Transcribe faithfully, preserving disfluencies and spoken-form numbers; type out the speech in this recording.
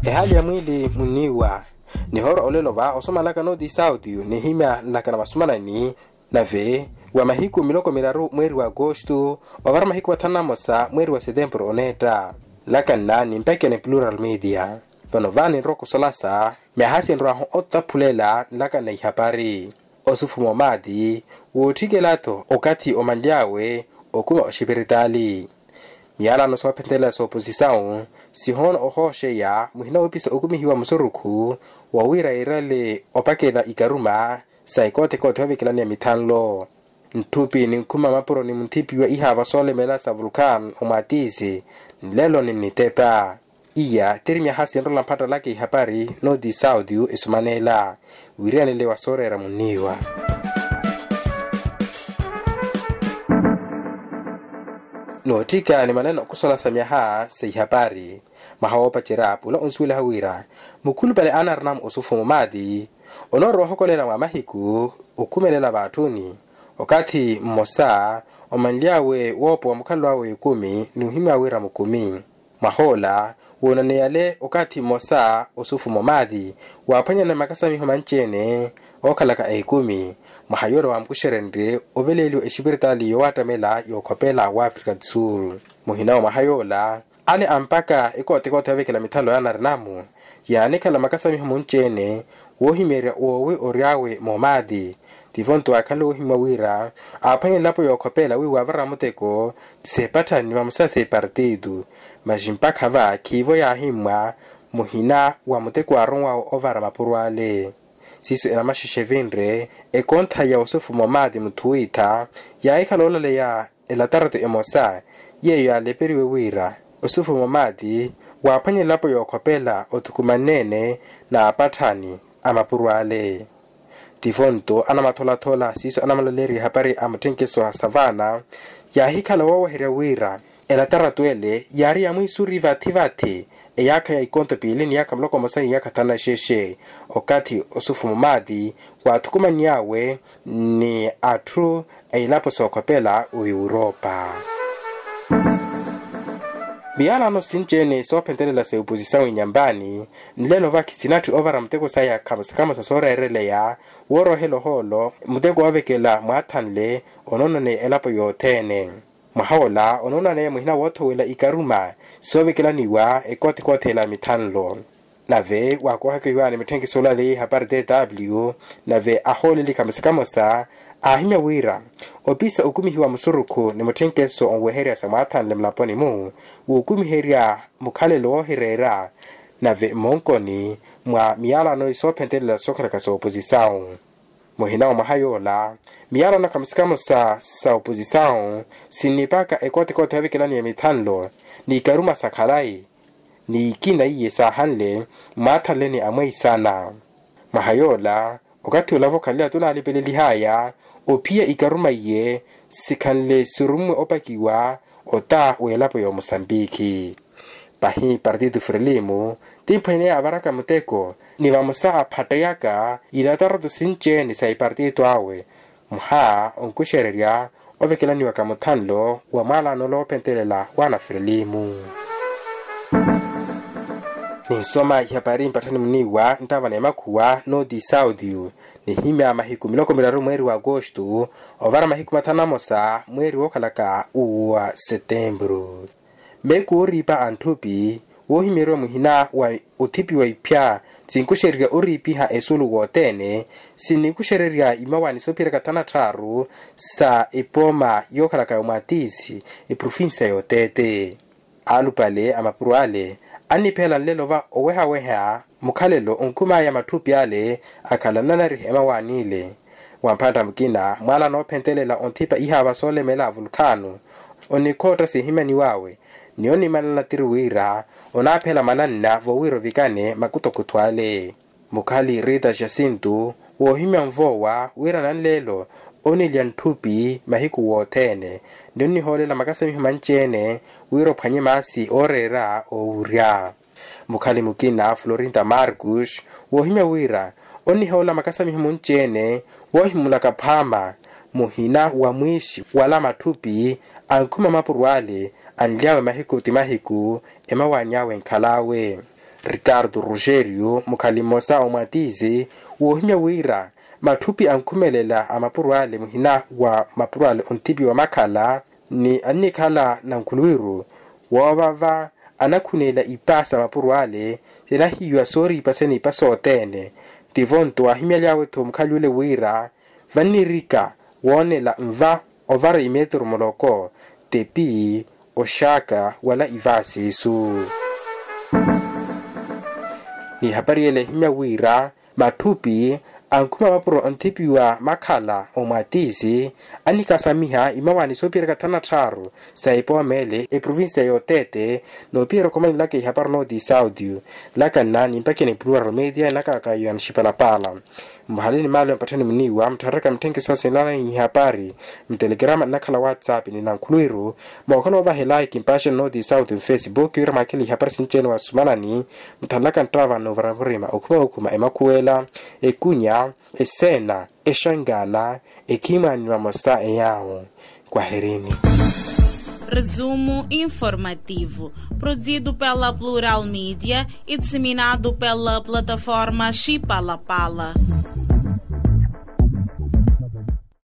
Ehaali ya mwiili munniiwa. Nihoora olelo va osomalaka nooti sauti nihimya nlaka na masumanani. Nave wa mahiku miloko miraru mweeri wa agosto ovara mahiku mathanu na mosa mweeri wa setempuru oneetta. Nlaka nna nimpekene plural media. Vano va ninrowa okusolasa myaha sinrwahu otaphulela nlaka na ihapari. Osufuma omaati wootthikela-tho okathi omanly'awe okuma oxipiritaali. Miyalano soophentelela sooposisawu sihoona ohooxeya muhina woopisa okumihiwa musurukhu wa wira yeerale opakela ikaruma sa ekoothekoothi yoovekelaniya mithanlo. Ntthupi ninkhuma mapuro ni munthipiwa ihaava soolemela sa vulkan omwatiisi nlelo ninnitepa. Iya tiri myaha sinrola mphattalaka ihapari nooti sauti esumanela wiriyanele wa sooreera munniiwa. Nootthika ni manene okusola sa myaha sa ihapari mwaha woopacerya pula onsuweliha wira mukhulupale anarinamu osufuma omaati onoorowa ohokolela mwa mahiku okhumelela vaatthuni okathi mmosa omanly'awe woopowa mukhalelo awe ekumi n'uhimya wira mukumi. Mwah'ola woonaneyale okathi mmosa osufuma omaati waaphwanyana makasamiho manci-ene ookhalaka ekumi. Mwaha yoola waamukuxerenrye oveleeliwa exipiritaali yoowattamela yookhopela w'afrika du sul. Muhina wa mwaha yoola ale ampaka ekootekoote yoovekela mithanlo yaanarinamu yaanikhala makasamiho munci-ene woohimeerya woowi ory'awe moomaati. Tivo nto waakhanle woohimwa wira aaphwanye elapo yookhopela wiiwa avara muteko seepatthani ni vamosa seepartitu. Maxi mpakha va khiivo yaahimmwa muhina wa muteko waaronwawe ovara mapuro ale. Siiso enamaxexe evinre ekontha ya osufuma omaati mutthuwiitha yaahikhala oolaleya elataratu emosa yeeyo yaaleperiwe wira osufuma omaati waaphwanye elapo yookhopela othukumanne-ene n'apatthani a mapuro ale. Tivo nto anamatholaathola siiso anamulaleeriye ehapari a mutthenkeso a savana yaahikhala wooweherya wira elataratu ele yaari ya mwiisuri vathi-vathi eyaakha ya ikonto piili ni yaakha muloko mmosa ni yaakha thanu na xexe okathi osufuma omaati waathukumannyawe ni atthu a ilapo sookhopela oiwuropa. Miyalano sinci-ene soophentelela sa oposisawu inyampani nlelo vakhi sinatthi ovara muteko saya khamosa-khamosa sooreereleya woorohela ohoolo muteko woovekela mwaathanle onoonaneya elapo yothene. Mwaha ola onoonaneya muhina woothowela ikaruma soovekelaniwa ekoothekoothela mithanlo. Nave waakoohaka iwaani mitthenkiso olaleya ihapari tw nave ahooleli khamosa-khamosa aahimya wira opisa okumihiwa musurukhu ni mutthenkeso onweherya sa mwaathanle mulaponi-mu wookumiherya mukhalelo woohireera nave mmonkoni mwa miyalano soophentelela sookhalaka sa oposisawu. Muhina wa mwaha yoola miyalano khamosa-khamosa sa oposisawu sinnipaka ekoothekoothi yoovekelaniya mithanlo n'ikaruma sa khalayi n'ikina iye saahanle mwaathanleni amweisana. Mwaha yoola okathi olavo khalila tunaalipelelihaya ophiya ikaruma iye sikhanle sirummwe opakiwa ota w'elapo y'omusambikhi. Pahi partitu frelimu timphwene avaraka muteko ni vamosa aphatteyaka ilataratu sinci-ene sa ipartitu awe mwaha onkuxererya ovekelaniwaka muthanlo wa mwalano loophentelela w'anafrelimu. Ninsoma ihapari mpatthani muniiwa nttava na emakhuwa nooti sauti nihimya mahiku miloko miraru mweeri wa agosto ovara mahiku mathanu na mosa mweeri wookhalaka uwa setempuru. Meeku ooriipa a ntthupi woohimyeriwa muhina wa othipiwa iphya sinkuxererya oriipiha esulu wothene sinnikuxererya imawaani soophiyerya kathanu na tthaaru sa epooma yookhalaka yomwatiisi eprofinsiya y'oteete. Alupale a mapuro ale anniphela nlelo va owehaweha mukhalelo onkhumaaya matthupi ale akhala nanariha emawaani ile. Wa mphantta mukina mwaala noophentelela onthipa ihaava soolemela vulkano onikhootta sihimyaniw'awe ni onimanana tiri wira onaaphela mananna vowira ovikane makutokuto ale. Mukhali rita jacinto woohimya nvoowa wira nanleelo onilya ntthupi mahiku wothene ni onnihoolela makasamiho manci-ene wira ophwanye maasi ooreera oowurya. Mukhali mukina florinta marcus woohimya wira onnihoolela makasamiho munci-ene woohimulaka phaama muhina wa mwiixi wala matthupi ankhuma mapuro ale anly'awe mahiku ti mahiku emawaani awe enkhal'awe. Ricardo rogerio mukhali mmosa omwatiizi woohimya wira matthupi ankhumelela a mapuro ale muhina wa mapuro ale onthipiwa makhala ni annikhala nankhuluwiru woovava anakhuneela ipa sa mapuro ale sinahiiwa sooriipa seniipa sothene. Tivo-nto waahimyaly'awe-tho mukhali ole wira vannirika woonela nva ovara imeturu muloko tepi oxaaka wala ivaasi isu. Ni hapari ele ehimya wira matthupi ankhuma mapuro onthipiwa makhala omwatiisi annikasamiha imawaani soophiyerya kathanu na tthaaru sa epooma ele eprovincia y'oteete. Noophiyerya okhomanelaka ihapari nooti sauti laka nna nimpakhe ni plural media enakaka yoona xipalapala. Mvahaleni maalo ya mpatthani muniiwa muttharereka mitthenke soosinlana ihapari mutelegrama nnakhala whatsapp ni nankhuluwiru mookhala ovaha elaiki mpaxeni nooti sauti mfacebook wira mwakhele ihapari sinci-ene wasumanani. Mutthanlaka nttava noovara murima okhuma okhuma emakhuwela ekunya eseena exangana ekhimwaani vamosa eyaawo. Kwaherini. Resumo informativo, produzido pela plural media e disseminado pela plataforma xipalapala.